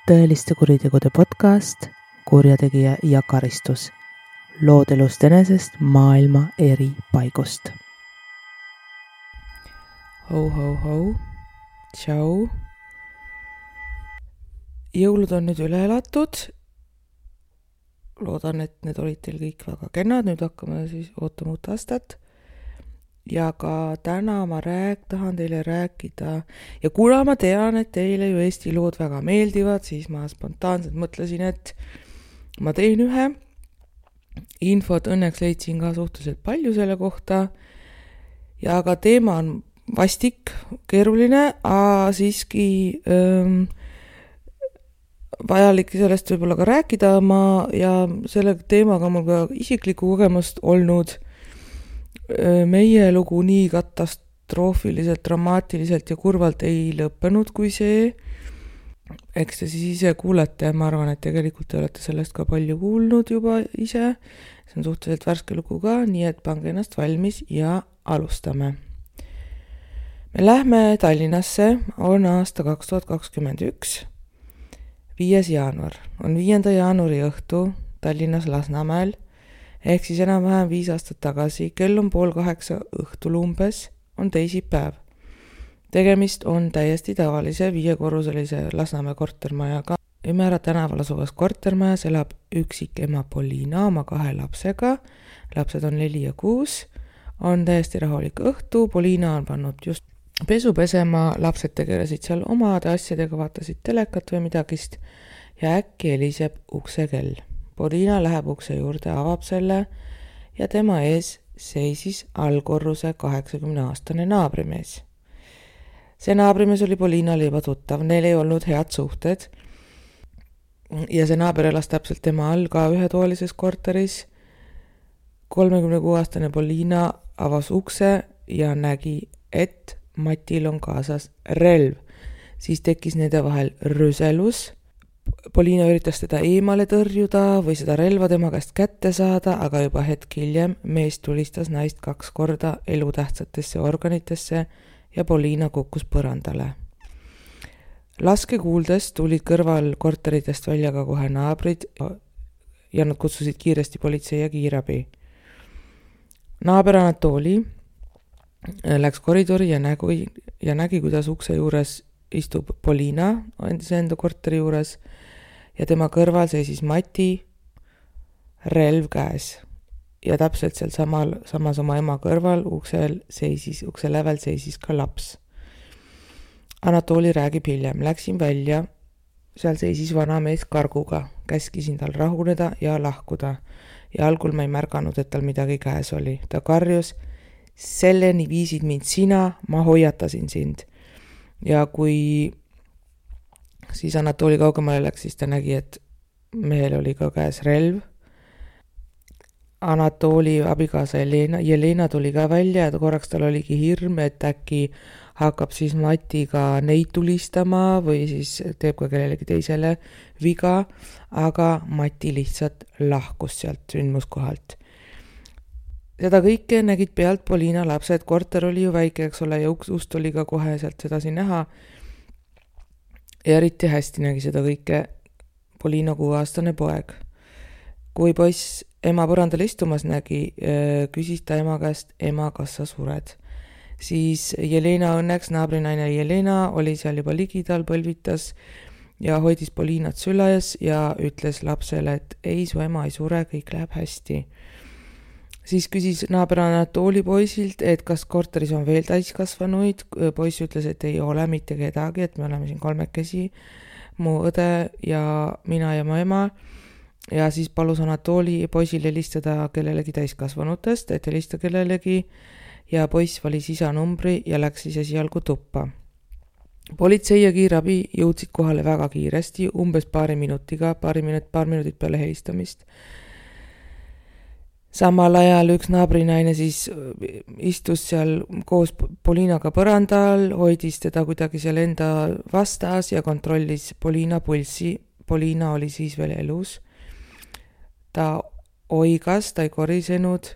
tõeliste kuritegude podcast Kurjategija ja karistus. Lood elust enesest maailma eri paigust. Ho. Tšau. Jõulud on nüüd üle elatud. Loodan, et need olid teil kõik väga kennad. Nüüd hakkame siis ootama uut aastat. Ja ka täna ma tahan teile rääkida ja kuna ma tean, et teile ju Eesti lood väga meeldivad, siis ma spontaanselt mõtlesin, et ma teen ühe. Infot õnneks leidsin ka suhteliselt palju selle kohta ja ka teema on vastik, keeruline, aga siiski vajalik sellest võib-olla ka rääkida ja selle teemaga mul ka isiklikku kogemust olnud. Meie lugu nii katastroofiliselt, dramaatiliselt ja kurvalt ei lõppenud kui see. Eks te siis ise kuulete, ma arvan, et tegelikult te olete sellest ka palju kuulnud juba ise. See on suhteliselt värske lugu ka, nii et pange ennast valmis ja alustame. Me lähme Tallinnasse, on aasta 2021, 5. jaanuar. On 5. jaanuari õhtu Tallinnas Lasnamäel. Ehk siis enam-vähem 5 aastat tagasi, kell on 7:30 õhtul umbes, on teisipäev. Tegemist on täiesti tavalise 5-korruselise Lasnamäe kortermajaga. Ümära tänaval asuvas kortermajas elab üksik ema Poliina oma 2 lapsega. Lapsed on 4 ja 6. On täiesti rahulik õhtu. Poliina on pannud just pesu pesema. Lapsed tegelesid seal omade asjadega, vaatasid telekat või midagist ja äkki heliseb uksekell. Poliina läheb ukse juurde, avab selle ja tema ees seisis allkorruse 80-aastane naabrimees. See naabrimees oli Poliinale juba tuttav, neil ei olnud head suhted ja see naaber elas täpselt tema all ka ühetoalises korteris. 36-aastane Poliina avas ukse ja nägi, et Matil on kaasas relv. Siis tekkis nende vahel rüselus. Poliina üritas teda eemale tõrjuda või seda relva tema käest kätte saada, aga juba hetk hiljem mees tulistas naist 2 korda elutähtsatesse organitesse ja Poliina kukkus põrandale. Laske kuuldes tulid kõrval korteritest välja ka kohe naabrid ja nad kutsusid kiiresti politsei ja kiirabi. Naaber Anatoli läks koridori ja nägi, kuidas ukse juures istub Poliina enda korteri juures ja tema kõrval seisis Mati relv käes. Ja täpselt seal samas oma ema kõrval ukse lävel seisis ka laps. Anatoli räägib hiljem. Läksin välja, seal seisis vana mees karguga. Käskisin tal rahuneda ja lahkuda. Ja algul ma ei märganud, et tal midagi käes oli. Ta karjus, selleni viisid mind sina, ma hoiatasin sind. Ja kui siis Anatoli kaugemale läks, siis ta nägi, et mehel oli ka käes relv. Anatoli abikaasa Jelena tuli ka välja ja korraks tal oligi hirm, et äkki hakkab siis Matiga neid tulistama või siis teeb ka kellelegi teisele viga, aga Mati lihtsalt lahkus sealt sündmuskohalt. Seda kõike nägid pealt Poliina lapsed, korter oli ju väike, eks ole, ja ust oli ka kohe sealt sedasi näha. Ja eriti hästi nägi seda kõike Poliina 6-aastane poeg. Kui poiss ema põrandal istumas nägi, küsis ta ema käest, ema, kas sa sured? Siis Jelena õnneks, naabrinaine Jelena, oli seal juba ligidal, põlvitas ja hoidis Poliinat süles ja ütles lapsele, et ei, su ema ei sure, kõik läheb hästi. Siis küsis naaber Anatoli poisilt, et kas korteris on veel täiskasvanuid. Poiss ütles, et ei ole mitte kedagi, et me oleme siin 3, mu õde ja mina ja mu ema. Ja siis palus Anatoli poisil helistada kellelegi täiskasvanutest, et helista kellelegi ja poiss valis isa numbri ja läks siis esialgu tuppa. Politsei ja kiirabi jõudsid kohale väga kiiresti, umbes paar minutit peale helistamist. Samal ajal üks naabrinaine siis istus seal koos Poliinaga põrandal, hoidis teda kuidagi seal enda vastas ja kontrollis Poliina pulssi. Poliina oli siis veel elus. Ta oigas, ta ei korisenud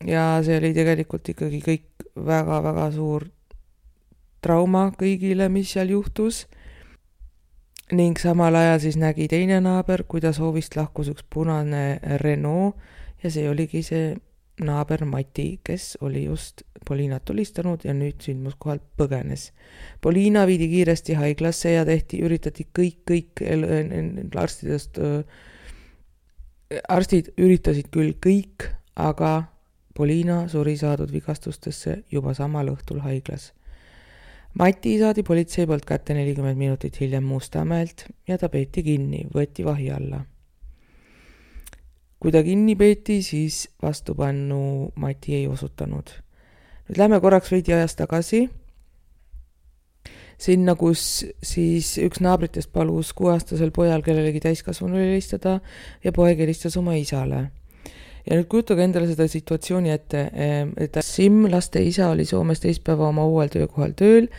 ja see oli tegelikult ikkagi kõik väga-väga suur trauma kõigile, mis seal juhtus. ning samal ajal siis nägi teine naaber, kuidas hoovist lahkus üks punane Renault ja see oligi see naaber Mati, kes oli just Poliinat tulistanud ja nüüd sündmuskohalt põgenes. Poliina viidi kiiresti haiglasse ja üritati kõik arstid üritasid küll kõik, aga Poliina suri saadud vigastustesse juba samal õhtul haiglas. Mati saadi politsei poolt kätte 40 minutit hiljem Mustamäelt ja ta peeti kinni, võeti vahi alla. Kui ta kinni peeti, siis vastupannu Mati ei osutanud. Nüüd lähme korraks veidi ajas tagasi. Sinna, kus siis üks naabritest palus 6-aastasel pojal kellelegi täiskasvanule helistada ja poeg helistas oma isale. Ja nüüd kujutage endale seda situatsiooni ette, et Sim, laste isa, oli Soomes teispäeva oma uuel töökohal tööl,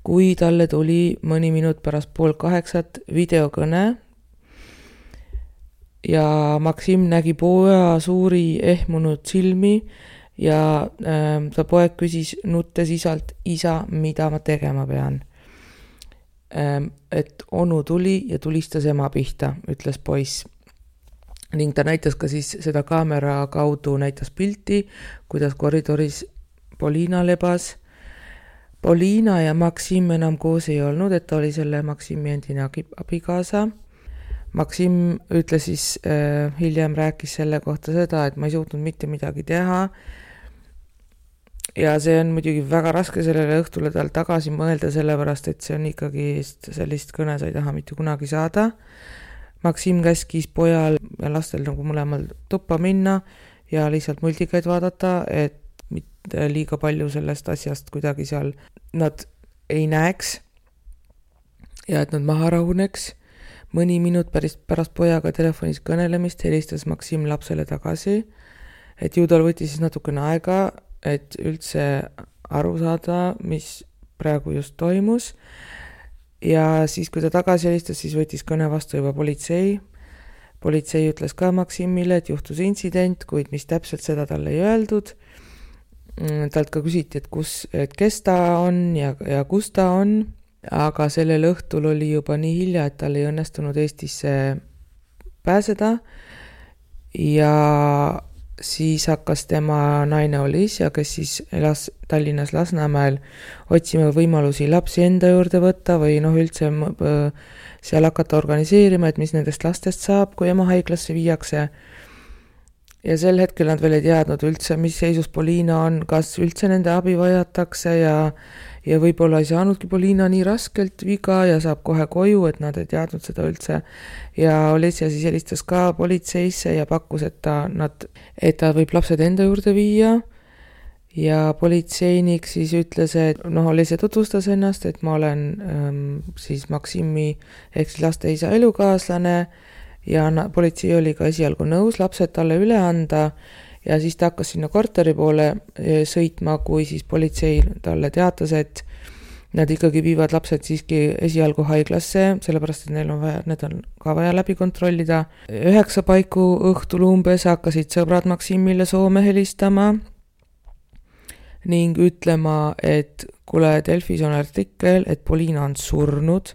kui talle tuli mõni minut pärast 7:30 videokõne ja Maksim nägi poja suuri ehmunud silmi ja ta poeg küsis nuttes isalt, isa, mida ma tegema pean. Et onu tuli ja tulistas ema pihta, ütles poiss. Ning ta näitas ka siis seda kaamera kaudu, näitas pilti, kuidas koridoris Poliina lebas. Poliina ja Maksim enam koos ei olnud, et ta oli selle Maksimi endine abikaasa. Maksim ütles siis hiljem rääkis selle kohta seda, et ma ei suutnud mitte midagi teha. Ja see on muidugi väga raske sellele õhtule tal tagasi mõelda, sellepärast, et see on ikkagi sellist kõne sa ei taha mitte kunagi saada. Maksim käskis pojal ja lastel nagu mõlemal tuppa minna ja lihtsalt multikaid vaadata, et mitte liiga palju sellest asjast kuidagi seal nad ei näeks ja et nad maha rahuneks. Mõni minut pärast pojaga telefonis kõnelemist helistas Maksim lapsele tagasi, et ju tal võttis siis natukene aega, et üldse aru saada, mis praegu just toimus. Ja siis, kui ta tagasi helistas, siis võttis kõne vastu juba politsei. Politsei ütles ka Maksimile, et juhtus intsident, kuid mis täpselt seda talle ei öeldud. Talt ka küsiti, et kes ta on ja kus ta on, aga sellel õhtul oli juba nii hilja, et tal ei õnnestunud Eestisse pääseda ja siis hakkas tema naine Olesja, kes siis elas Tallinnas Lasnamäel, otsima võimalusi lapsi enda juurde võtta või üldse seal hakata organiseerima, et mis nendest lastest saab, kui ema haiglasse viiakse. Ja sel hetkel nad veel ei teadnud üldse, mis seisus Poliina on, kas üldse nende abi vajatakse ja võib-olla ei saanudki Poliina nii raskelt viga ja saab kohe koju, et nad ei teadnud seda üldse. Ja Olesja siis helistas ka politseisse ja pakkus, et ta võib lapsed enda juurde viia. Ja politseinik siis ütles, et Olesja tutvustas ennast, et ma olen siis Maksimi ehk siis laste isa elukaaslane ja politsei oli ka esialgu nõus lapsed talle üle anda. Ja siis ta hakkas sinna korteri poole sõitma, kui siis politsei talle teatas, et nad ikkagi viivad lapsed siiski esialgu haiglasse, sellepärast, et need on ka vaja läbi kontrollida. 9 paiku õhtul umbes hakkasid sõbrad Maksimile Soome helistama ning ütlema, et kuule, Delfis on artikkel, et Poliina on surnud.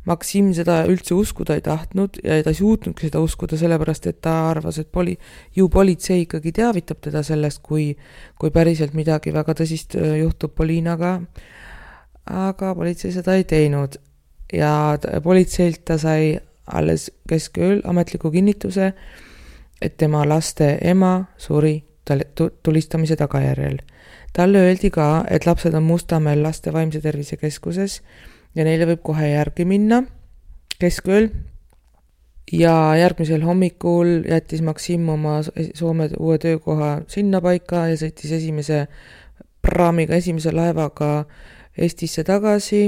Maksim seda üldse uskuda ei tahtnud ja ta ei suutnudki seda uskuda, sellepärast, et ta arvas, et politsei ikkagi teavitab teda sellest, kui päriselt midagi väga tõsist juhtub Poliinaga. Aga politsei seda ei teinud ja politseilt ta sai alles keskööl ametliku kinnituse, et tema laste ema suri tulistamise tagajärjel. Talle öeldi ka, et lapsed on Mustamäel laste vaimse tervise keskuses ja neile võib kohe järgi minna keskööl. Ja järgmisel hommikul jättis Maksim oma Soome uue töökoha sinna paika ja sõitis esimese laevaga Eestisse tagasi,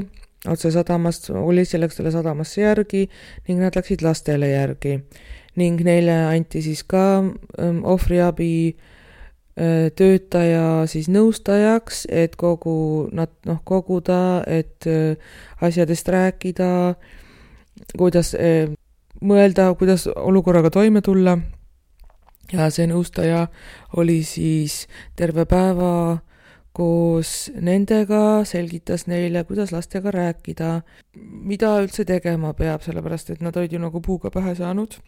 otse sadamast, Olesja läks talle sadamasse järgi ning nad läksid lastele järgi. Ning neile anti siis ka ohvriabi töötaja siis nõustajaks, et koguda, et asjadest rääkida, kuidas mõelda, kuidas olukorraga toime tulla. Ja see nõustaja oli siis terve päeva koos nendega selgitas neile, kuidas lastega rääkida, mida üldse tegema peab, sellepärast et nad olid ju nagu puuga pähe saanud.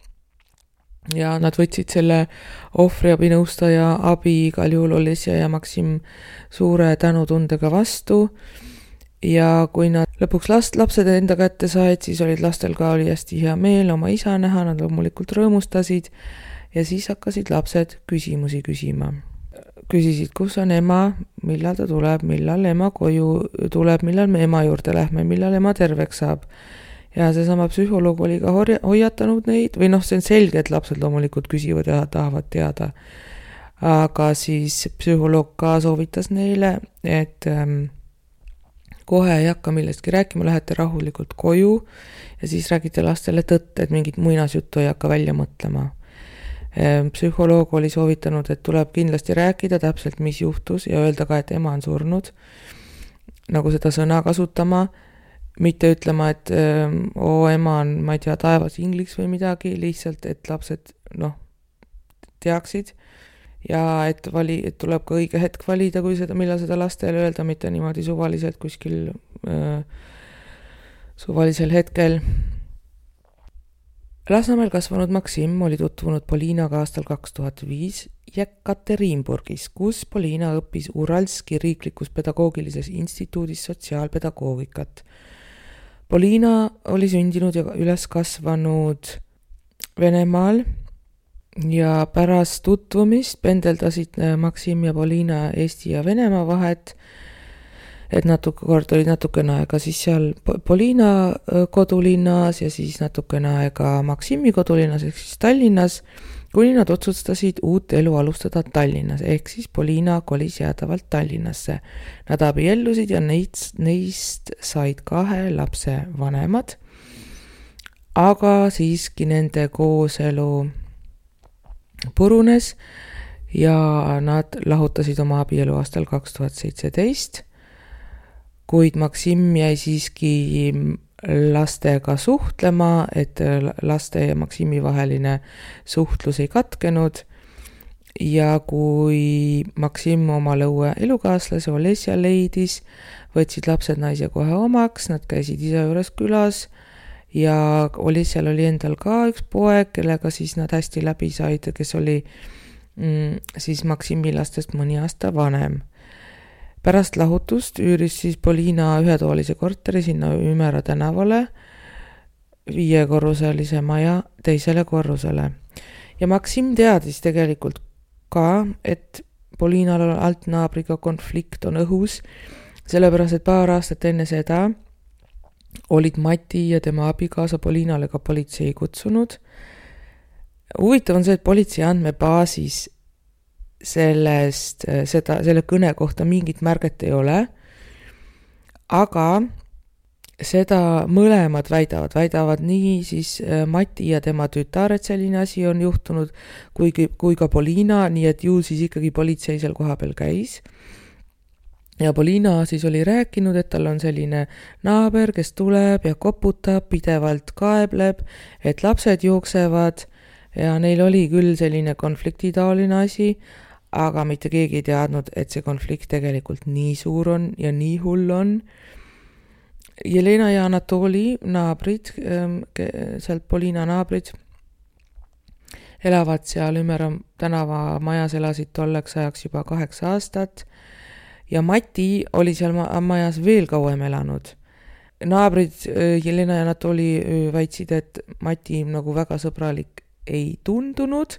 Ja nad võtsid selle ohvriabinõustaja abi igal juhul Olesja ja Maksim suure tänutundega vastu. Ja kui nad lõpuks lapsed enda kätte said, siis lastel ka oli hästi hea meel oma isa näha, nad loomulikult rõõmustasid ja siis hakkasid lapsed küsimusi küsima. Küsisid, kus on ema, millal ta tuleb, millal ema koju tuleb, millal me ema juurde lähme, millal ema terveks saab. Ja seesama psühholoog oli ka hoiatanud neid, või see on selge, et lapsed loomulikult küsivad ja tahavad teada. Aga siis psühholoog ka soovitas neile, et kohe ei hakka millestki rääkima, lähete rahulikult koju ja siis räägite lastele tõtt, et mingit muinasjuttu ei hakka välja mõtlema. Psühholoog oli soovitanud, et tuleb kindlasti rääkida täpselt, mis juhtus ja öelda ka, et ema on surnud, nagu seda sõna kasutama, mitte ütlema, et ema on, ma ei tea, taevas ingliks või midagi, lihtsalt, et lapsed teaksid ja et tuleb ka õige hetk valida, kui millal seda lastele öelda, mitte niimoodi suvaliselt kuskil suvalisel hetkel. Lasnamäel kasvanud Maksim oli tutvunud Poliinaga aastal 2005 Jekaterinburgis, kus Poliina õppis Uralski riiklikus pedagoogilises instituudis sotsiaalpedagoogikat. Poliina oli sündinud ja üles kasvanud Venemaal ja pärast tutvumist pendeldasid Maksim ja Poliina Eesti ja Venemaa vahet, et kord olid natukene aega siis seal Poliina kodulinnas ja siis natukene aega Maksimi kodulinnas ehk siis Tallinnas, kuni nad otsustasid uut elu alustada Tallinnas, ehk siis Poliina kolis jäädavalt Tallinnasse. Nad abiellusid ja neist said 2 lapse vanemad, aga siiski nende kooselu purunes ja nad lahutasid oma abielu aastal 2017, kuid Maksim jäi siiski lastega suhtlema, et laste ja Maksimi vaheline suhtlus ei katkenud ja kui Maksim oma lõue elukaaslase Olesja leidis, võtsid lapsed naise kohe omaks, nad käisid isa juures külas ja Olesjal oli endal ka üks poeg, kellega siis nad hästi läbi said, kes oli siis Maksimi lastest mõni aasta vanem. Pärast lahutust üüris siis Poliina ühetoolise korteri sinna Ümera tänavale 5-korruselise maja teisele korrusele. Ja Maksim teadis tegelikult ka, et Poliinal altnaabriga konflikt on õhus, sellepärast et paar aastat enne seda olid Mati ja tema abikaasa Poliinale ka politsei kutsunud. Huvitav on see, et politsei andmebaasis selle kõne kohta mingit märget ei ole, aga seda mõlemad väidavad nii siis Mati ja tema tütar, et selline asi on juhtunud, kui ka Poliina, nii et ju siis ikkagi politsei seal kohapeal käis. Ja Poliina siis oli rääkinud, et tal on selline naaber, kes tuleb ja koputab, pidevalt kaebleb, et lapsed jooksevad ja neil oli küll selline konfliktitaoline asi, aga mitte keegi ei teadnud, et see konflikt tegelikult nii suur on ja nii hull on. Jelena ja Anatoli naabrid, sealt Poliina naabrid, elavad seal Ümera tänava majas, elasid tolleks ajaks juba 8 aastat ja Mati oli seal majas veel kauem elanud. Naabrid Jelena ja Anatoli väitsid, et Mati nagu väga sõbralik ei tundunud,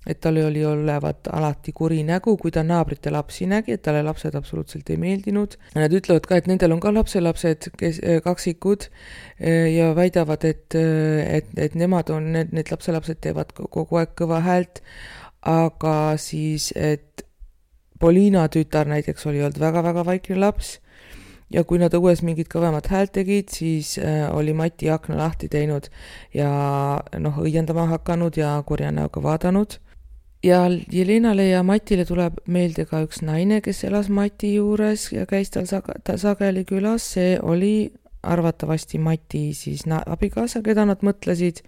et tal oli olevat alati kuri nägu, kui ta naabrite lapsi nägi, et talle lapsed absoluutselt ei meeldinud. Nad ütlevad ka, et nendel on ka lapselapsed, kaksikud ja väidavad, et nemad on, need lapselapsed teevad kogu aeg kõva häält, aga siis, et Poliina tütar näiteks oli olnud väga-väga vaikne laps ja kui nad õues mingit kõvemat häält tegid, siis oli Mati akna lahti teinud ja õiendama hakanud ja kurja näoga vaadanud. Ja Jelenale ja Matile tuleb meelde ka üks naine, kes elas Mati juures ja käis tal sageli külas. See oli arvatavasti Mati siis abikaasa, keda nad mõtlesid.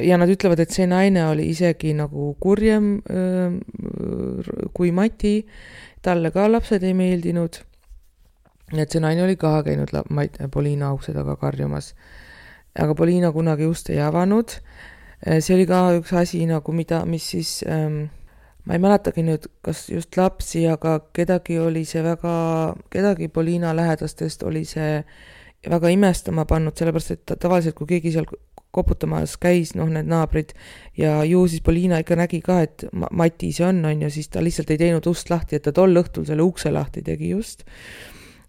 ja nad ütlevad, et see naine oli isegi nagu kurjem kui Mati, talle ka lapsed ei meeldinud. Et see naine oli ka käinud Poliina ukse taga karjumas. Aga Poliina kunagi ust ei avanud. See oli ka üks asi nagu mis siis, ma ei mäletagi nüüd, kas just lapsi, aga kedagi Poliina lähedastest oli see väga imestama pannud, sellepärast, et tavaliselt kui keegi seal koputamas käis, need naabrid, ja ju siis Poliina ikka nägi ka, et Mati see on ju, siis ta lihtsalt ei teinud ust lahti, et ta tol õhtul selle ukse lahti tegi just.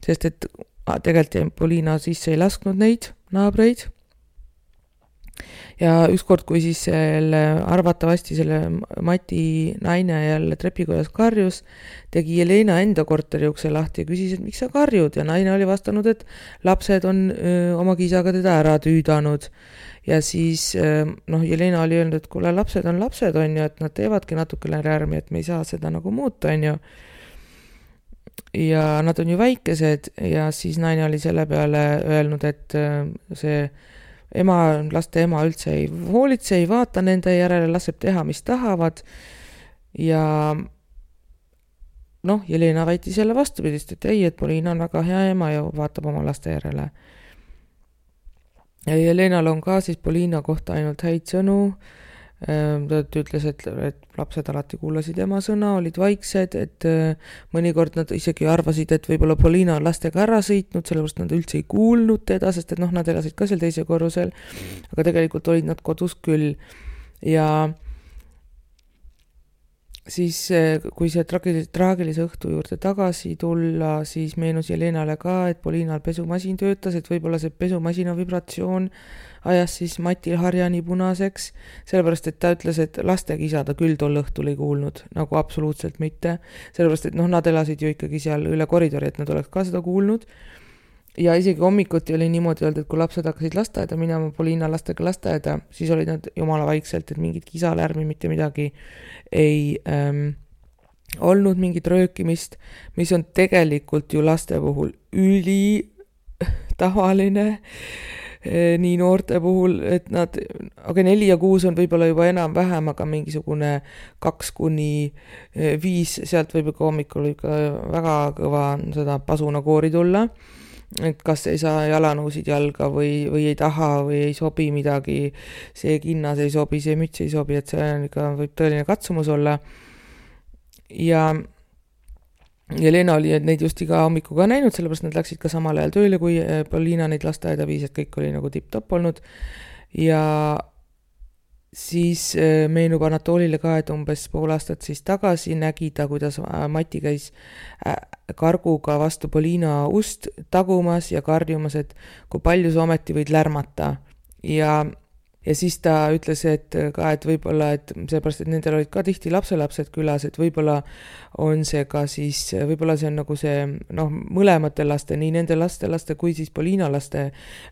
Sest et tegelikult Poliina sisse ei lasknud neid naabreid. Ja ükskord, kui siis arvatavasti selle Mati naine jälle trepikojas karjus, tegi Jelena enda korteri ukse lahti ja küsis, et miks sa karjud, ja naine oli vastanud, et lapsed on oma kisaga teda ära tüüdanud. Ja siis Jelena oli öelnud, et kuule, lapsed on ju, et nad teevadki natukene lärmi, et me ei saa seda nagu muuta, on ju. Ja nad on ju väikesed, ja siis naine oli selle peale öelnud, et see laste ema üldse ei hoolitse, ei vaata nende järele, laseb teha, mis tahavad. Ja Jelena väitis jälle vastupidist, et ei, et Poliina on väga hea ema ja vaatab oma laste järele. Ja Jelenal on ka siis Poliina kohta ainult häid sõnu. Ta ütles, et lapsed alati kuulasid ema sõna, olid vaiksed, et mõnikord nad isegi arvasid, et võib-olla Poliina on lastega ära sõitnud, sellepärast nad üldse ei kuulnud teda, sest et nad elasid ka seal teise korrusel, aga tegelikult olid nad kodus küll. Ja siis, kui see traagilise õhtu juurde tagasi tulla, siis meenus Jelenale ka, et Poliinal pesumasin töötas, et võib-olla see pesumasina vibratsioon ajas siis Matil harjani punaseks, sellepärast, et ta ütles, et lastekisa ta küll tol õhtul ei kuulnud, nagu absoluutselt mitte, sellepärast, et nad elasid ju ikkagi seal üle koridori, et nad oleks ka seda kuulnud. Ja isegi hommikuti oli niimoodi öeldud, et kui lapsed hakkasid lasteaeda minema, Poliina lastega lasteaeda, siis olid nad jumala vaikselt, et mingit kisalärmi, mitte midagi ei olnud, mingit röökimist, mis on tegelikult ju laste puhul üli tavaline, nii noorte puhul, et nad, aga 4 ja 6 on võib-olla juba enam-vähem, aga mingisugune 2 kuni 5, sealt võib ka hommikul ikka väga kõva seda pasunakoori tulla. Et kas ei saa jalanõusid jalga või ei taha või ei sobi midagi, see kinnas ei sobi, see müts ei sobi, et see on ikka, võib tõeline katsumus olla. Ja Jelena oli neid just iga hommiku ka näinud, sellepärast nad läksid ka samal ajal tööle, kui Poliina neid lasteaeda viis, et kõik oli nagu tipp-topp olnud. Ja siis meenub Anatolile ka, et umbes pool aastat siis tagasi nägi ta, kuidas Mati käis karguga vastu Poliina ust tagumas ja karjumas, et kui palju sa ometi võid lärmata. Ja siis ta ütles, et võib-olla, et seepärast, et nendel olid ka tihti lapselapsed külas, et võib-olla on see ka siis, võib-olla see on nagu see, mõlemate laste, nii nende laste kui siis Poliina laste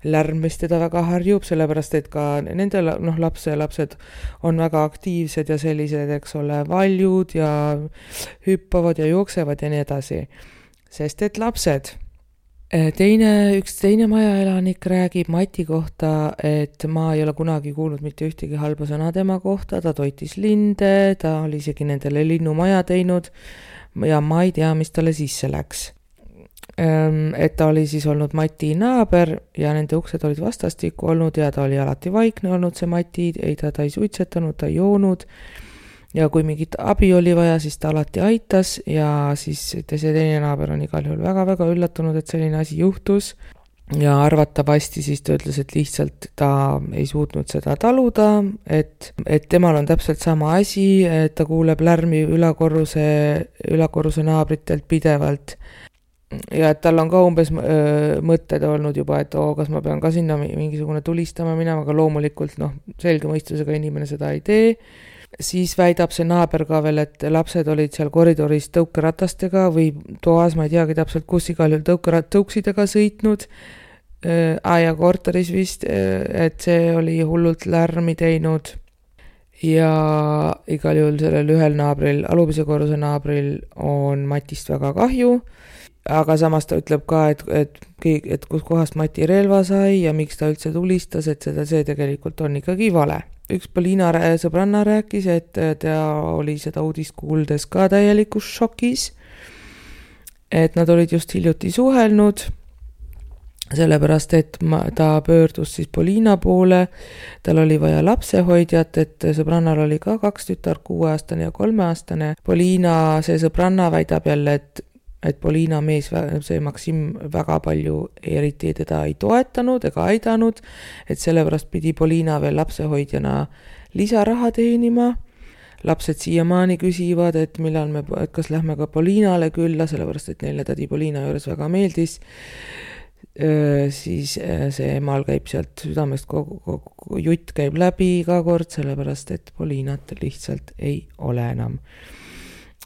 lärm, mis teda väga harjub, sellepärast, et ka nende lapsed on väga aktiivsed ja sellised, eks ole, valjud ja hüppavad ja jooksevad ja nii edasi. Sest et lapsed. Üks teine majaelanik räägib Mati kohta, et ma ei ole kunagi kuulnud mitte ühtegi halba sõna tema kohta, ta toitis linde, ta oli isegi nendele linnumaja teinud ja ma ei tea, mis talle sisse läks. Et ta oli siis olnud Mati naaber ja nende uksed olid vastastikku olnud ja ta oli alati vaikne olnud see Mati, ta ei suitsetanud, ta ei joonud. Ja kui mingit abi oli vaja, siis ta alati aitas ja siis see teine naaber on igal juhul väga-väga üllatunud, et selline asi juhtus. Ja arvatavasti siis ta ütles, et lihtsalt ta ei suutnud seda taluda, et temal on täpselt sama asi, et ta kuuleb lärmi ülakorruse naabritelt pidevalt. Ja et tal on ka umbes mõtted olnud juba, et kas ma pean ka sinna mingisugune tulistama minema, aga loomulikult selge mõistusega inimene seda ei tee. Siis väidab see naaber ka veel, et lapsed olid seal koridoris tõukeratastega või toas, ma ei teagi täpselt, kus igal juhul tõuksidega sõitnud. Ja korteris vist, et see oli hullult lärmi teinud. Ja igal juhul sellel ühel naabril, alumise korruse naabril on Matist väga kahju. Aga samas ta ütleb ka, et kus kohast Mati relva sai ja miks ta üldse tulistas, et see tegelikult on ikkagi vale. üks Polina sõbranna rääkis, et ta oli seda uudist kuuldes ka täielikus šokis, et nad olid just hiljuti suhelnud, sellepärast, et ta pöördus siis Polina poole, tal oli vaja lapsehoidjat, et sõbrannal oli ka 2 tütart, 6-aastane ja 3-aastane. Polina, see sõbranna väidab jälle, et Polina mees, see Maksim väga palju eriti teda ei toetanud ega aidanud, et sellepärast pidi Polina veel lapsehoidjana lisaraha teenima. Lapsed siiamaani küsivad, et kas lähme ka Polinale külla, sellepärast, et neile tädi Polina juures väga meeldis. Siis see emal käib sealt südamest, kogu jutt käib läbi iga kord, sellepärast, et Polinat lihtsalt ei ole enam.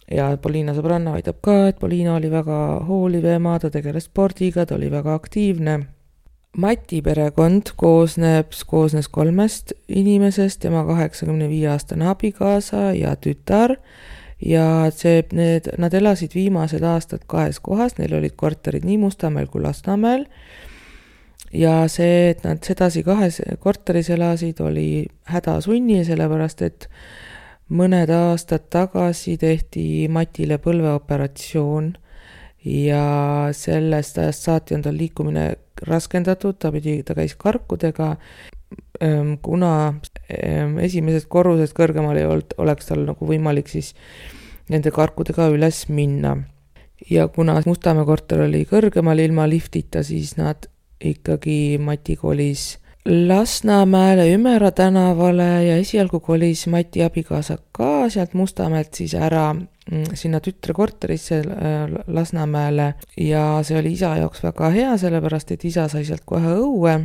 Ja Polina sõbranna väidab ka, et Polina oli väga hooliv ema, ta tegeles spordiga, ta oli väga aktiivne. Mati perekond koosnes 3 inimesest, tema 85-aastane abikaasa ja tütar. Ja nad elasid viimased aastad 2 kohas, neil olid korterid nii Mustamäel kui Lasnamäel. Ja see, et nad sedasi 2 korteris elasid, oli hädasunni, sellepärast, et mõned aastad tagasi tehti Matile põlveoperatsioon ja sellest ajast saati on tal liikumine raskendatud, ta käis karkudega, kuna esimesest korrusest kõrgemal ei oleks tal nagu võimalik siis nende karkudega üles minna. Ja kuna Mustamäe korter oli kõrgemal ilma liftita, siis nad ikkagi Mati kolis Lasnamäele Ümera tänavale ja esialgu kolis Mati abikaasa ka sealt Mustamäelt siis ära sinna tütre korterisse Lasnamäele ja see oli isa jaoks väga hea, sellepärast, et isa sai sealt kohe õue.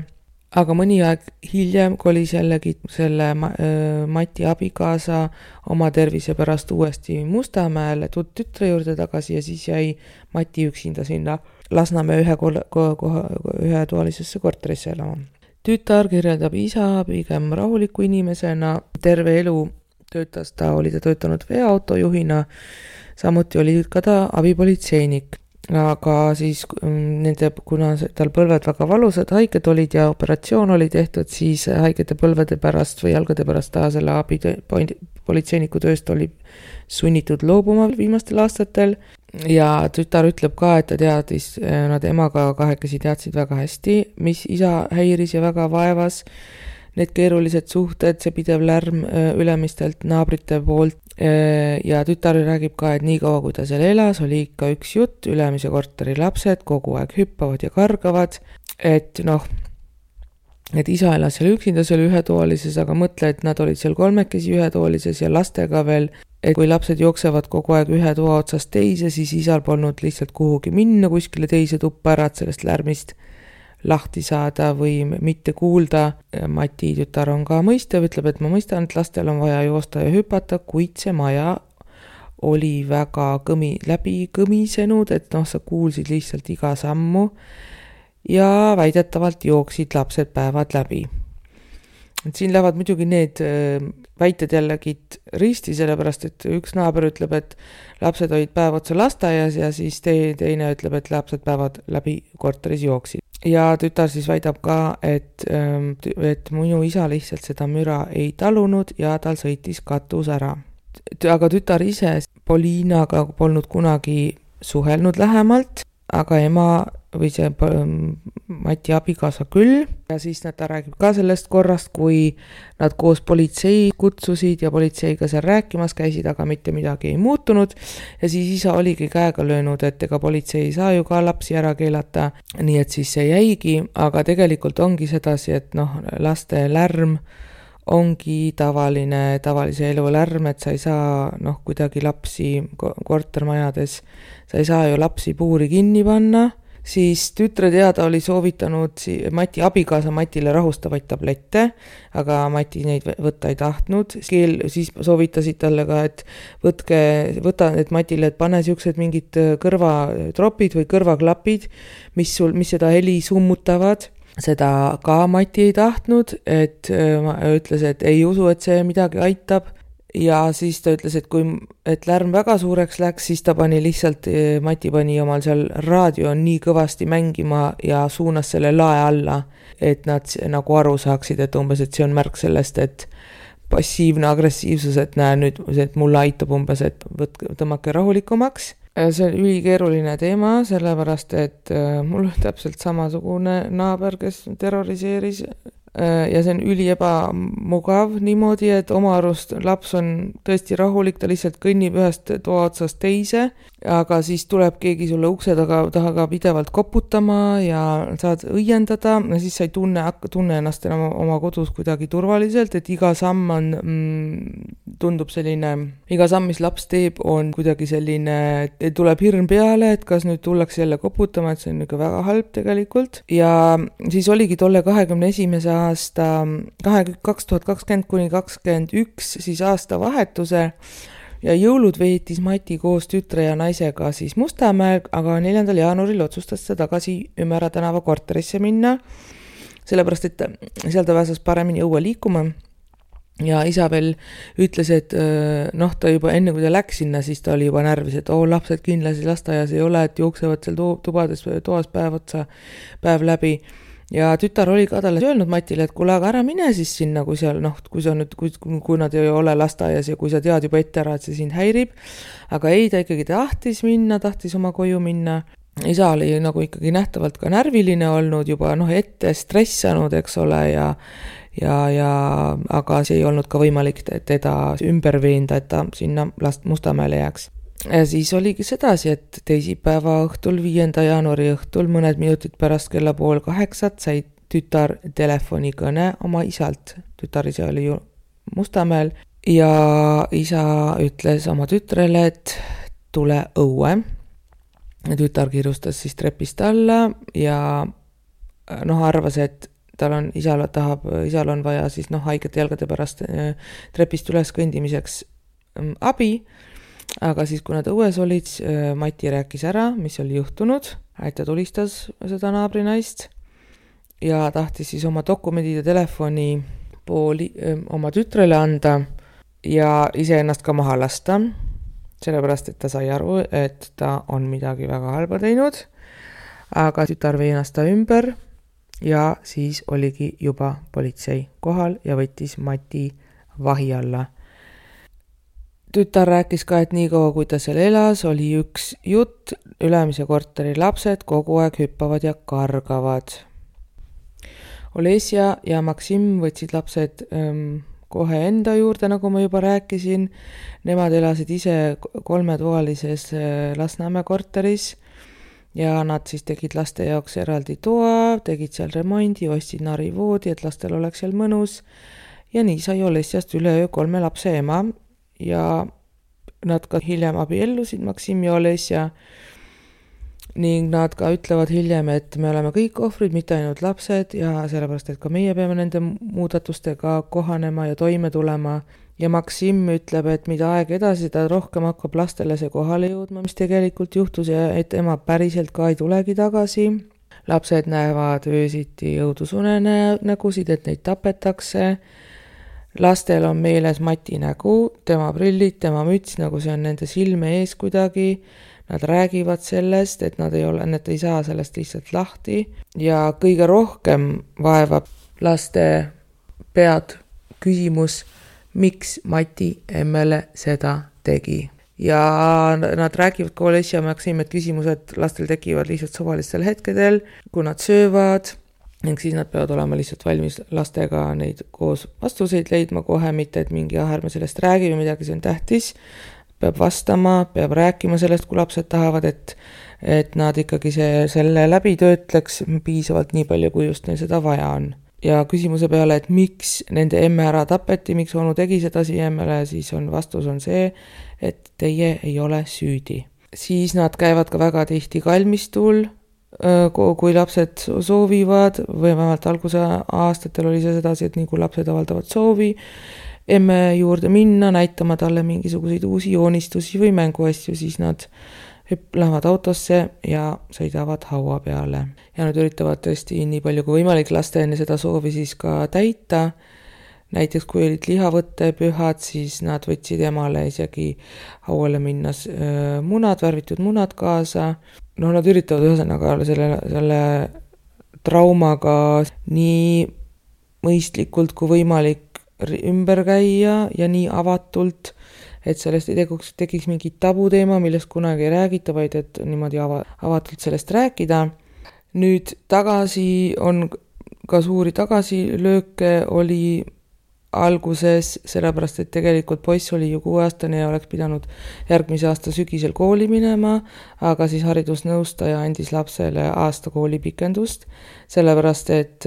Aga mõni aeg hiljem kolis jällegi selle Mati abikaasa oma tervise pärast uuesti Mustamäele tütre juurde tagasi ja siis jäi Mati üksinda sinna Lasnamäe ühetoalisesse korterisse elama. Tütar kirjeldab isa pigem rahuliku inimesena, terve elu oli ta töötanud veoautojuhina, samuti oli ka ta abipolitseinik. Aga siis kuna tal põlved väga valusad, haiged olid ja operatsioon oli tehtud, siis haigete põlvede pärast või jalgade pärast ta selle abipolitseiniku tööst oli sunnitud loobuma viimastel aastatel. Ja tütar ütleb ka, et ta teadis, nad emaga kahekesi teadsid väga hästi, mis isa häiris ja väga vaevas. Need keerulised suhted, see pidev lärm ülemistelt naabrite poolt ja tütar räägib ka, et nii kaua kui ta seal elas, oli ikka üks jutt, ülemise korteri lapsed kogu aeg hüppavad ja kargavad, et et isa elas seal üksinda seal ühetoalises, aga mõtle, et nad olid seal 3 ühetoalises ja lastega veel, et kui lapsed jooksevad kogu aeg ühe toa otsast teise, siis isal polnud lihtsalt kuhugi minna kuskile teise tuppa ära, et sellest lärmist lahti saada või mitte kuulda. Mati tütar on ka mõistev, ütleb, et ma mõistan, et lastel on vaja joosta ja hüpata, kuid see maja oli väga läbi kõmisenud, et sa kuulsid lihtsalt iga sammu ja väidetavalt jooksid lapsed päevad läbi. Et siin lähevad muidugi need väited jällegi risti, sellepärast, et üks naaber ütleb, et lapsed olid päev otsa lasteaias ja siis teine ütleb, et lapsed päevad läbi korteris jooksid. Ja tütar siis väidab ka, et minu isa lihtsalt seda müra ei talunud ja tal sõitis katus ära. Aga tütar ise Polinaga polnud kunagi suhelnud lähemalt, aga ema või see Mati abikaasa küll. Ja siis ta räägib ka sellest korrast, kui nad koos politsei kutsusid ja politseiga seal rääkimas käisid, aga mitte midagi ei muutunud. Ja siis isa oligi käega löönud, et ega politsei ei saa ju ka lapsi ära keelata, nii et siis see jäigi, aga tegelikult ongi sedasi, et laste lärm ongi tavalise elu lärm, et sa ei saa kuidagi lapsi kortermajades, sa ei saa ju lapsi puuri kinni panna. Siis tütre teada oli soovitanud Mati abikaasa Matile rahustavaid tablette, aga Mati neid võtta ei tahtnud. Siis soovitasid talle ka, et võta need Matile, et pane siuksed mingid kõrvatropid või kõrvaklapid, mis seda heli summutavad. Seda ka Mati ei tahtnud, et ütles, et ei usu, et see midagi aitab. Ja siis ta ütles, et lärm väga suureks läks, siis Mati pani omal seal raadio nii kõvasti mängima ja suunas selle lae alla, et nad nagu aru saaksid, et umbes, et see on märk sellest, et passiivne agressiivsus, et näe nüüd, et mulle aitab umbes, et tõmmake rahulikumaks. See on ülikeeruline teema, sellepärast, et mul on täpselt samasugune naaber, kes terroriseeris ja see on üliebamugav niimoodi, et oma arust laps on tõesti rahulik, ta lihtsalt kõnnib ühest toa otsast teise, aga siis tuleb keegi sulle ukse taga pidevalt koputama ja saad õiendada ja siis sa ei tunne ennast enam oma kodus kuidagi turvaliselt, et iga samm on, tundub selline, iga samm, mis laps teeb, on kuidagi selline, et tuleb hirm peale, et kas nüüd tullakse jälle koputama, et see on ikka väga halb tegelikult. Ja siis oligi tolle 21. aasta 2020 kuni 2021 siis aastavahetuse ja jõulud veetis Mati koos tütre ja naisega siis Mustamäel, aga 4. jaanuaril otsustas ta tagasi Ümmera tänava korterisse minna, sellepärast, et seal ta pääses paremini õue liikuma. Ja isa veel ütles, et ta juba enne, kui ta läks sinna, siis ta oli juba närvis, et lapsed kindlasti lasteaias ei ole, et jooksevad seal toas päev läbi. Ja tütar oli ka talle öelnud Matile, et kuule, aga ära mine siis sinna, kui seal, kui nad ei ole lasteaias ja kui sa tead juba ette ära, et see sind häirib. Aga ei, ta ikkagi tahtis oma koju minna. Isa oli nagu ikkagi nähtavalt ka närviline olnud, juba ette stressanud, eks ole, aga see ei olnud ka võimalik teda ümber veenda, et ta sinna Mustamäele jääks. Ja siis oligi sedasi, et teisipäeva õhtul, 5. jaanuari õhtul, mõned minutid pärast kella 7:30 sai tütar telefonikõne oma isalt. Tütar ise oli ju Mustamäel ja isa ütles oma tütrele, et tule õue. Tütar kiirustas siis trepist alla ja arvas, et isal on vaja siis haigete jalgade pärast trepist üles kõndimiseks abi. Aga siis, kui nad õues olid, Mati rääkis ära, mis oli juhtunud, et ta tulistas seda naabrinaist ja tahtis siis oma dokumendid ja telefoni oma tütrele anda ja iseennast ka maha lasta, sellepärast, et ta sai aru, et ta on midagi väga halba teinud, aga tütar veenas ta ümber ja siis oligi juba politsei kohal ja võttis Mati vahi alla. Tütar rääkis ka, et nii kaua, kui ta seal elas, oli üks jutt, ülemise korteri lapsed kogu aeg hüppavad ja kargavad. Olesja ja Maksim võtsid lapsed kohe enda juurde, nagu ma juba rääkisin. Nemad elasid ise 3-toalises Lasnamäe korteris ja nad siis tegid laste jaoks eraldi toa, tegid seal remondi, ostsid narivoodi, et lastel oleks seal mõnus. Ja nii sai Olesjast üleöö 3 lapse ema. Ja nad ka hiljem abiellusid, Maksim ja Olesja, ning nad ka ütlevad hiljem, et me oleme kõik ohvrid, mitte ainult lapsed ja sellepärast, et ka meie peame nende muudatustega kohanema ja toime tulema. Ja Maksim ütleb, et mida aeg edasi, ta rohkem hakkab lastele see kohale jõudma, mis tegelikult juhtus ja et ema päriselt ka ei tulegi tagasi. Lapsed näevad öösiti õudusunenägusid, et neid tapetakse. Lastel on meeles Mati nägu, tema prillid, tema müts, nagu see on nende silme ees kuidagi. Nad räägivad sellest, et nad ei saa sellest lihtsalt lahti. Ja kõige rohkem vaevab laste pead küsimus, miks Mati emmele seda tegi. Ja nad räägivad ka Olesja ja Maksim, et küsimused lastel tekivad lihtsalt suvalistel hetkedel, kui nad söövad. Ning siis nad peavad olema lihtsalt valmis lastega neid koos vastuseid leidma kohe, mitte et mingi ärme sellest räägi või midagi, see on tähtis. Peab vastama, peab rääkima sellest, kui lapsed tahavad, et nad ikkagi selle läbi töötleks piisavalt nii palju, kui just neil seda vaja on. Ja küsimuse peale, et miks nende emme ära tapeti, miks onu tegi seda emmele, siis vastus on see, et teie ei ole süüdi. Siis nad käivad ka väga tihti kalmistul, kui lapsed soovivad, või vähemalt alguse aastatel oli see sedasi, et nii kui lapsed avaldavad soovi, emme juurde minna, näitama talle mingisuguseid uusi joonistusi või mänguasju, siis nad lähevad autosse ja sõidavad haua peale. Ja nad üritavad tõesti nii palju kui võimalik laste enne seda soovi siis ka täita. Näiteks kui olid lihavõttepühad, siis nad võtsid emale isegi hauale minnas värvitud munad kaasa. Nad üritavad ühesõnaga selle traumaga nii mõistlikult kui võimalik ümber käia ja nii avatult, et sellest ei tekiks mingi tabuteema, millest kunagi ei räägita, vaid et niimoodi avatult sellest rääkida. Nüüd tagasi on ka suuri tagasilööke oli alguses, sellepärast et tegelikult poiss oli ju 6-aastane ja oleks pidanud järgmise aasta sügisel kooli minema, aga siis haridusnõustaja andis lapsele aasta koolipikendust, sellepärast et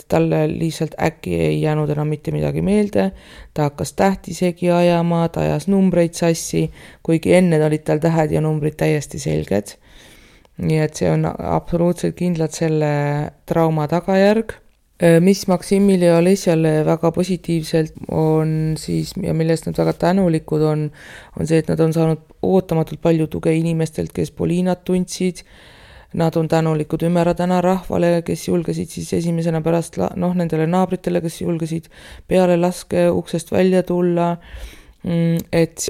talle lihtsalt äkki ei jäänud enam mitte midagi meelde, ta hakkas tähtisegi ajama, ta ajas numbreid sassi, kuigi enne olid tal tähed ja numbrid täiesti selged. Nii et see on absoluutselt kindlalt selle trauma tagajärg. Mis Maksimile ja Olesjale väga positiivselt on siis, ja millest nad väga tänulikud on see, et nad on saanud ootamatult palju tuge inimestelt, kes Polinat tundsid. Nad on tänulikud Ümera täna rahvale, kes julgesid siis esimesena pärast nendele naabritele, kes julgesid peale laske uksest välja tulla, et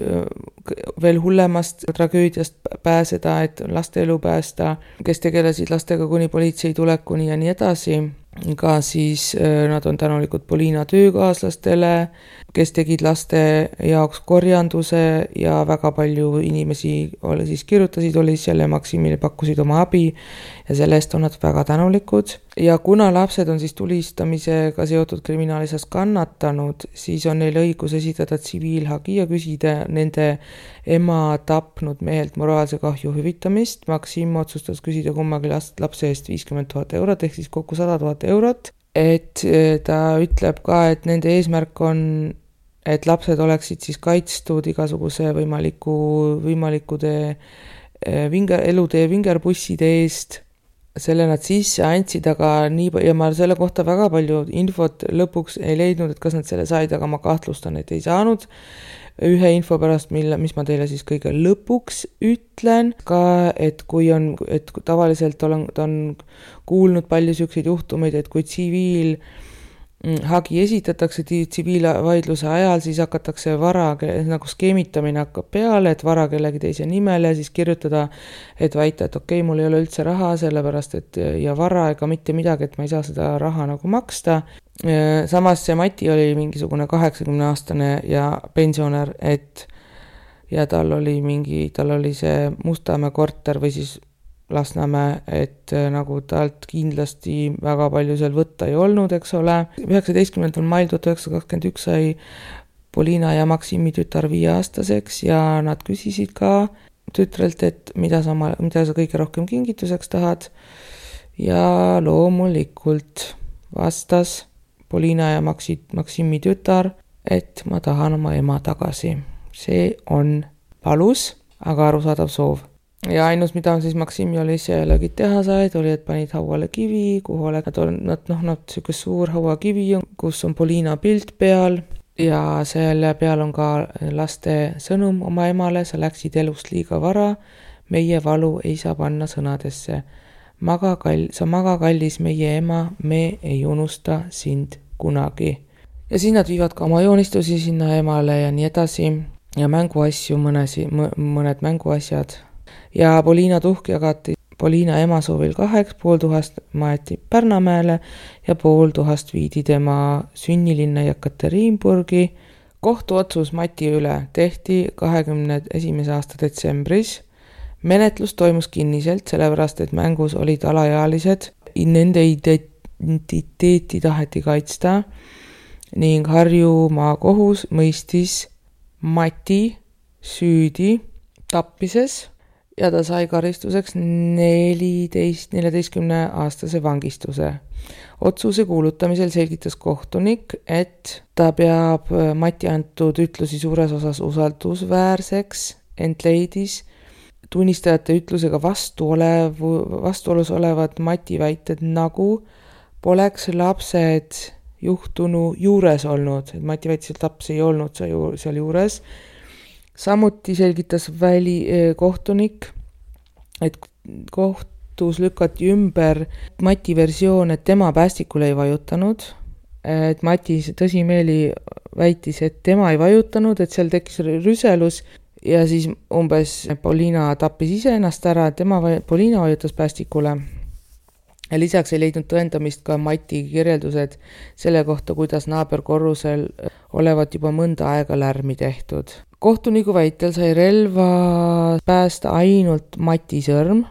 veel hullemast tragöödiast pääseda, et laste elu päästa, kes tegelesid lastega kuni politsei tulekuni ja nii edasi. Ka siis nad on tänulikud Polina töökaaslastele, kes tegid laste jaoks korjanduse ja väga palju inimesi siis kirjutasid Olesjale ja Maksimile, pakkusid oma abi ja selle eest on nad väga tänulikud. Ja kuna lapsed on siis tulistamisega seotud kriminaalisas kannatanud, siis on neil õigus esitada tsiviilhagi ja küsida nende ema tapnud mehelt moraalse kahju hüvitamist. Maksim otsustas küsida kummagi lapse eest 50 000 eurot ehk siis kokku 100 000 eurot, et ta ütleb ka, et nende eesmärk on, et lapsed oleksid siis kaitstud igasuguse võimalikude elutee vingerbusside eest. Selle nad sisse andsid, aga ja ma selle kohta väga palju infot lõpuks ei leidnud, et kas nad selle said, aga ma kahtlustan, et ei saanud. Ühe info pärast, mis ma teile siis kõige lõpuks ütlen ka, et tavaliselt ta on kuulnud palju selliseid juhtumeid, et kui tsiviilhagi esitatakse tsiviilvaidluse ajal, siis hakatakse nagu skeemitamine hakkab peale, et vara kellegi teise nimele, siis kirjutada, et väita, et okei, mul ei ole üldse raha, sellepärast et ja vara ega mitte midagi, et ma ei saa seda raha nagu maksta. Samas see Mati oli mingisugune 80-aastane ja pensionär, ja tal oli see Mustamäe korter või siis Lasnamäe, et nagu talt kindlasti väga palju seal võtta ei olnud, eks ole. 19. mail 1921 sai Polina ja Maksimi tütar 5-aastaseks ja nad küsisid ka tütrelt, et mida sa kõige rohkem kingituseks tahad. Ja loomulikult vastas Polina ja Maksimi tütar, et ma tahan oma ema tagasi. See on valus, aga arusaadav soov. Ja ainus, mida on siis Maksim ja Olesja jällegi teha said, oli, et panid hauale kivi, kuhu nad selline suur hauakivi, kus on Polina pilt peal ja selle peal on ka laste sõnum oma emale, sa läksid elust liiga vara, meie valu ei saa panna sõnadesse. Sa maga kallis meie ema, me ei unusta sind kunagi. Ja siis nad viivad ka oma joonistusi sinna emale ja nii edasi ja mänguasju, mõned mänguasjad. Ja Polina tuhk jagati Polina ema soovil 500 maeti Pärnamäele ja 500 viidi tema sünnilinna Jekaterinburgi. Kohtuotsus Mati üle tehti 21. aasta detsembris. Menetlus toimus kinniselt, sellepärast et mängus olid alaealised. Nende identiteeti taheti kaitsta ning Harju maakohus mõistis Mati süüdi tappises ja ta sai karistuseks 14-aastase vangistuse. Otsuse kuulutamisel selgitas kohtunik, et ta peab Mati antud ütlusi suures osas usaldusväärseks, ent leidis tunnistajate ütlusega vastuolus olevad Mati väited, nagu poleks lapsed juhtunu juures olnud, et Mati väitis, et laps ei olnud seal juures. Samuti selgitas kohtunik, et kohtus lükati ümber Mati versioon, et tema päästikule ei vajutanud, et Mati tõsimeeli väitis, et tema ei vajutanud, et seal tekkis rüselus ja siis umbes Polina tappis ise ennast ära, Polina vajutas päästikule. Ja lisaks ei leidnud tõendamist ka Mati kirjeldused selle kohta, kuidas naaberkorrusel olevat juba mõnda aega lärmi tehtud. Kohtuniku väitel sai relva päästa ainult Mati sõrm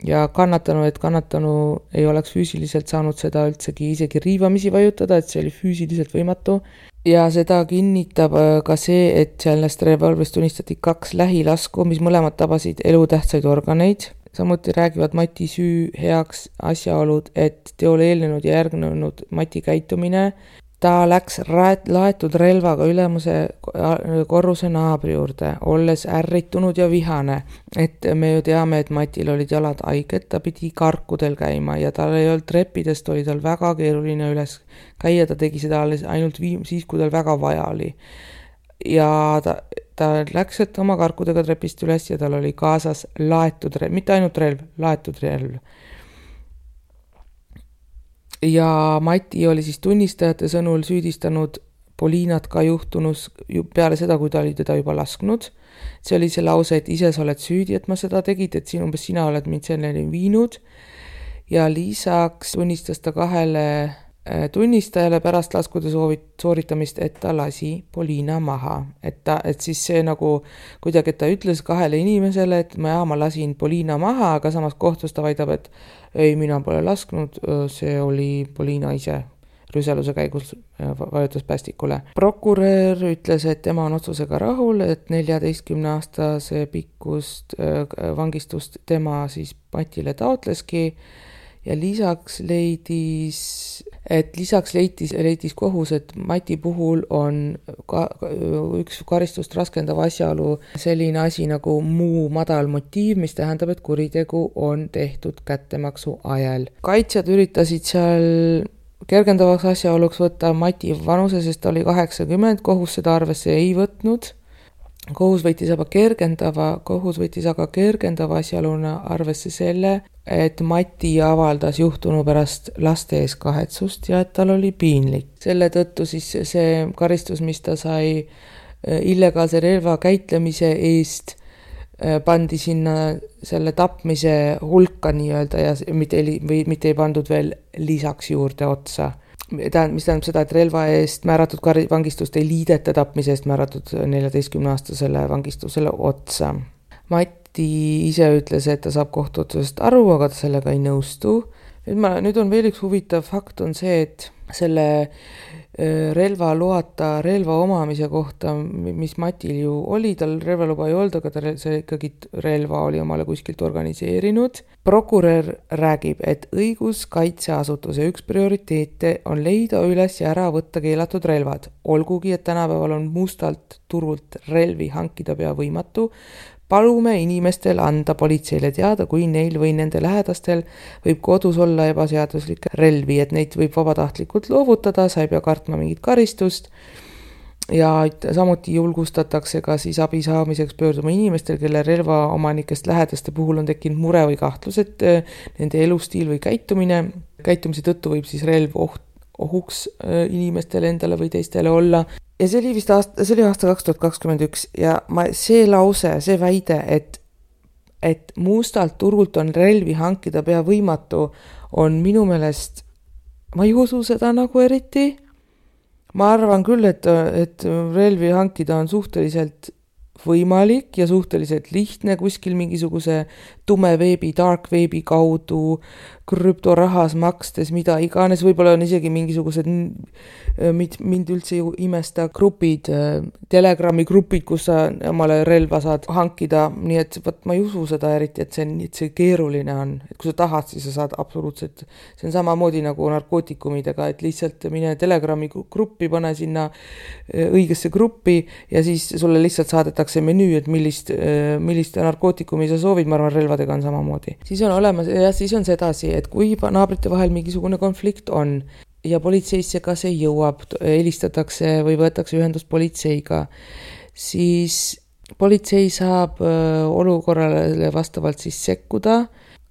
ja kannatanu ei oleks füüsiliselt saanud seda isegi riivamisi vajutada, et see oli füüsiliselt võimatu. Ja seda kinnitab ka see, et sellest revolvrist tunnistati 2 lähilasku, mis mõlemad tabasid elutähtsaid organeid. Samuti räägivad Mati süü heaks asjaolud, et teole eelnenud ja järgnenud Mati käitumine. Ta läks laetud relvaga ülemuse korruse naabri juurde, olles ärritunud ja vihane. Et me ju teame, et Matil olid jalad haiged, ta pidi karkudel käima ja tal ei olnud treppidest, oli tal väga keeruline üles käia, ta tegi seda ainult siis, kui tal väga vaja oli. Ja ta läks oma karkudega trepist üles ja tal oli kaasas laetud relv, mitte ainult relv, laetud relv. Ja Mati oli siis tunnistajate sõnul süüdistanud Polinat ka juhtunus peale seda, kui ta oli teda juba lasknud. See oli see lause, et ise sa oled süüdi, et ma seda tegid, et sina oled mind selleni viinud. Ja lisaks tunnistas ta 2 tunnistajale pärast laskude sooritamist, et ta lasi Polina maha. Et siis see nagu kuidagi, et ta ütles 2 inimesele, et ma lasin Polina maha, aga samas kohtus ta väidab, et ei, mina pole lasknud, see oli Polina ise rüseluse käigus vajutas päästikule. Prokurör ütles, et tema on otsusega rahul, et 14-aastase pikkust vangistust tema siis Matile taotleski ja lisaks leidis kohus, et Mati puhul on üks karistust raskendav asjaolu selline asi nagu muu madal motiiv, mis tähendab, et kuritegu on tehtud kättemaksu ajal. Kaitsjad üritasid seal kergendavaks asjaoluks võtta Mati vanuse, sest ta oli 80, kohus seda arvesse ei võtnud. Kohus võttis aga kergendava asjaoluna arvesse selle, et Mati avaldas juhtunu pärast laste ees kahetsust ja et tal oli piinlik. Selle tõttu siis see karistus, mis ta sai illegaalse relva käitlemise eest, pandi sinna selle tapmise hulka nii-öelda ja mitte ei pandud veel lisaks juurde otsa. Mis tähendab seda, et relva eest määratud vangistust ei liideta tapmise eest määratud 14-aastasele vangistusele otsa. Mati ise ütles, et ta saab kohtuotsusest aru, aga ta sellega ei nõustu. Nüüd on veel üks huvitav fakt on see, et selle relva loata relva omamise kohta, mis Matil ju oli, tal relvaluba ei olnud, aga see ikkagi relva oli omale kuskilt organiseerinud. Prokurör räägib, et õiguskaitseasutuse üks prioriteete on leida üles ja ära võtta keelatud relvad. Olgugi, et tänapäeval on mustalt turult relvi hankida pea võimatu, palume inimestel anda politseile teada, kui neil või nende lähedastel võib kodus olla ebaseaduslikke relvi, et neid võib vabatahtlikult loovutada, sa ei pea kartma mingit karistust. Ja samuti julgustatakse ka siis abi saamiseks pöörduma inimestel, kelle relvaomanikest lähedaste puhul on tekkinud mure või kahtlus, et nende elustiil või käitumise tõttu võib siis relv ohuks inimestele endale või teistele olla. Ja see oli aasta 2021 ja see väide, et mustalt turult on relvi hankida pea võimatu, on minu meelest, ma ei usu seda nagu eriti. Ma arvan küll, et relvi hankida on suhteliselt võimalik ja suhteliselt lihtne kuskil mingisuguse tume veebi, dark veebi kaudu, krüptorahas makstes, mida iganes, võib-olla on isegi mingisugused, mind üldse ju imesta grupid, Telegrami grupid, kus sa omale relva saad hankida, nii et ma ei usu seda eriti, et see keeruline on, et kui sa tahad, siis sa saad absoluutselt, see on samamoodi nagu narkootikumidega, et lihtsalt mine Telegrami gruppi, pane sinna õigesse gruppi ja siis sulle lihtsalt saadetakse menüü, et millist narkootikumi sa soovid, ma arvan, relvadega on samamoodi. Siis on sedasi, et kui naabrite vahel mingisugune konflikt on ja politseisse ka see jõuab, helistatakse või võetakse ühendust politseiga, siis politsei saab olukorrale vastavalt siis sekkuda,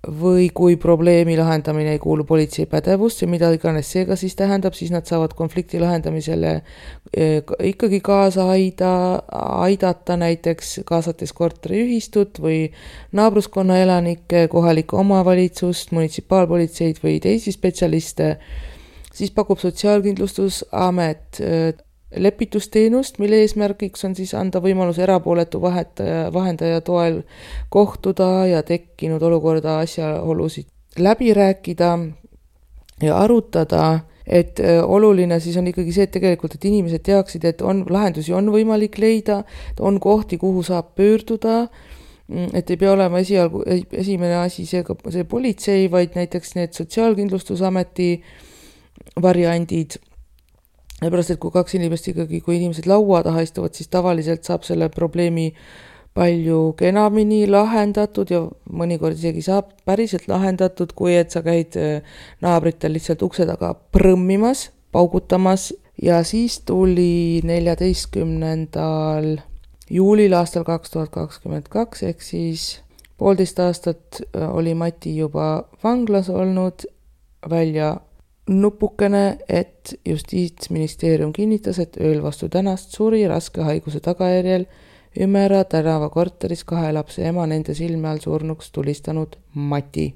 või kui probleemi lahendamine ei kuulu politsei pädevusse, mida iganes seega siis tähendab, siis nad saavad konflikti lahendamisele ikkagi kaasa aidata, näiteks kaasates korteriühistut või naabruskonna elanikke, kohalikku omavalitsust, munitsipaalpolitseid või teisi spetsialiste. Siis pakub Sotsiaalkindlustusamet lepitusteenust, mille eesmärgiks on siis anda võimalus erapooletu vahendaja toel kohtuda ja tekkinud olukorda asjaolusid läbi rääkida ja arutada, et oluline siis on ikkagi see, et tegelikult, et inimesed teaksid, et lahendusi on võimalik leida, on kohti, kuhu saab pöörduda, et ei pea olema esimene asi see politsei, vaid näiteks need Sotsiaalkindlustusameti variandid. Pärast, et kui kaks inimest ikkagi, kui inimesed laua taha istuvad, siis tavaliselt saab selle probleemi palju kenamini lahendatud ja mõnikord isegi saab päriselt lahendatud, kui et sa käid naabritel lihtsalt ukse taga prõmmimas, paugutamas. Ja siis tuli 14. juulil aastal 2022 ehk siis 1,5 aastat oli Mati juba vanglas olnud, välja nupukene, et Justiitsministeerium kinnitas, et ööl vastu tänast suri raske haiguse tagajärjel Ümera tänava korteris 2 lapse ema nende silme all surnuks tulistanud Mati.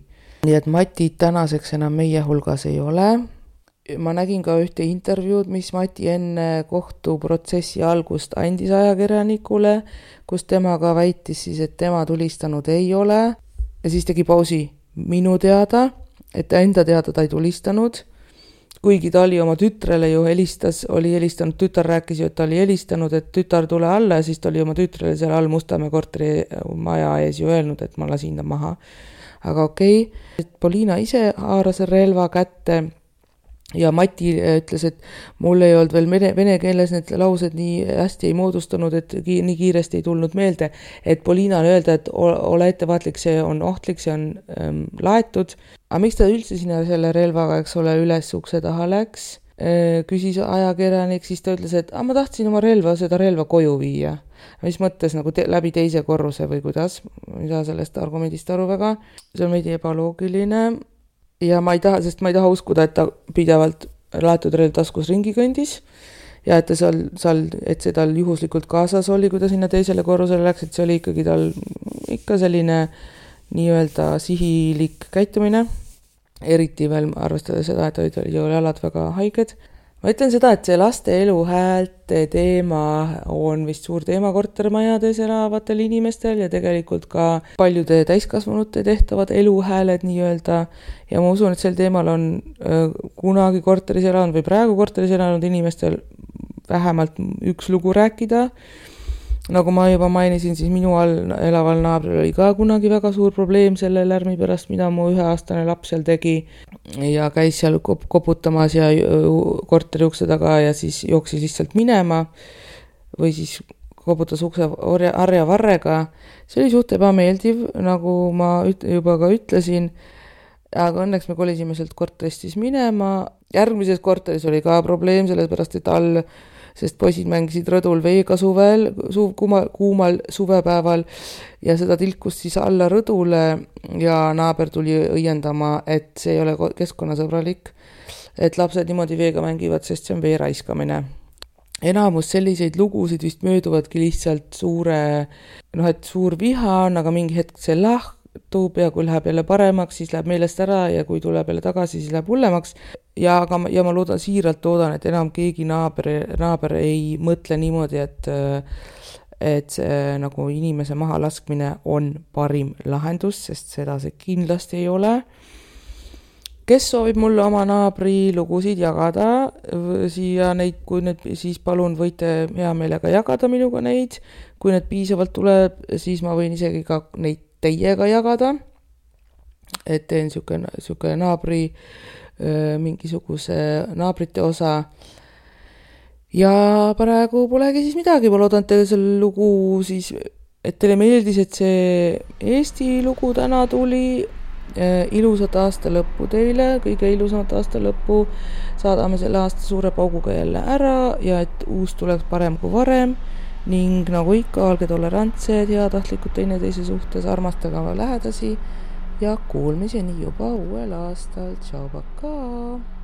Nii et Mati tänaseks enam meie hulgas ei ole. Ma nägin ka ühte intervjuud, mis Mati enne kohtuprotsessi algust andis ajakirjanikule, kus tema ka väitis siis, et tema tulistanud ei ole. Ja siis tegi pausi minu teada, et enda teada ta ei tulistanud. Kuigi ta oli oma tütrele ju oli helistanud, tütar rääkis ju, et ta oli helistanud, et tütar tule alla ja siis ta oli oma tütrele seal all Mustamäe korteri maja ees ju öelnud, et ma lasin ta maha. Aga okei. Poliina ise haaras relva kätte ja Mati ütles, et mul ei olnud veel vene keeles need laused nii hästi ei moodustunud, et nii kiiresti ei tulnud meelde, et Poliinale öelda, et ole ettevaatlik, see on ohtlik, see on laetud. Aga miks ta üldse sinna selle relvaga, eks ole, üles ukse taha läks, küsis ajakirjanik, siis ta ütles, et ma tahtsin oma seda relva koju viia. Mis mõttes nagu läbi teise korruse või kuidas, ma ei saa sellest argumendist aru väga, see on veidi ebaloogiline. Ja ma ei taha uskuda, et ta pidevalt laetud relv taskus ringi kõndis ja et see tal juhuslikult kaasas oli, kui ta sinna teisele korrusele läks, et see oli ikkagi tal ikka selline nii-öelda sihilik käitumine, eriti veel arvestades seda, et olid jalad väga haiged. Ma ütlen seda, et see laste eluhäälte teema on vist suur teema kortermajades elavatel inimestel ja tegelikult ka paljude täiskasvanute tehtavad eluhääled nii-öelda. Ja ma usun, et sel teemal on kunagi korteris elanud või praegu korteris elanud inimestel vähemalt üks lugu rääkida. Nagu ma juba mainisin, siis minu all elaval naabril oli ka kunagi väga suur probleem selle lärmi pärast, mida mu 1-aastane laps seal tegi ja käis seal koputamas ja korteri ukse taga ja siis jooksis lihtsalt minema või siis koputas ukse harja varrega. See oli suht ebameeldiv, nagu ma juba ka ütlesin, aga õnneks me kolisime sealt korterist siis minema. Järgmises korteris oli ka probleem, sellepärast et sest poisid mängisid rõdul veega kuumal suvepäeval ja seda tilkus siis alla rõdule ja naaber tuli õiendama, et see ei ole keskkonnasõbralik, et lapsed niimoodi veega mängivad, sest see on vee raiskamine. Enamus selliseid lugusid vist mööduvadki lihtsalt suur viha on, aga mingi hetk see lahtub ja kui läheb jälle paremaks, siis läheb meelest ära ja kui tuleb jälle tagasi, siis läheb hullemaks. Ja ma siiralt loodan, et enam keegi naaber ei mõtle niimoodi, et see nagu inimese maha laskmine on parim lahendus, sest seda see kindlasti ei ole. Kes soovib mulle oma naabri lugusid jagada siia neid, kui need, siis palun võite hea meelega jagada minuga neid. Kui need piisavalt tuleb, siis ma võin isegi ka neid teiega jagada. Et teen siuke naabri mingisuguse naabrite osa ja praegu polegi siis midagi, ma loodan teile selle lugu siis, et teile meeldis, et see Eesti lugu täna tuli. Ilusat aasta lõppu teile, kõige ilusamat aasta lõppu, saadame selle aasta suure pauguga jälle ära ja et uus tuleks parem kui varem ning nagu ikka, olge tolerantsed, heatahtlikud teineteise suhtes, armastage oma lähedasi ja kuulmiseni juba uuel aastal. Tšau, pakaa!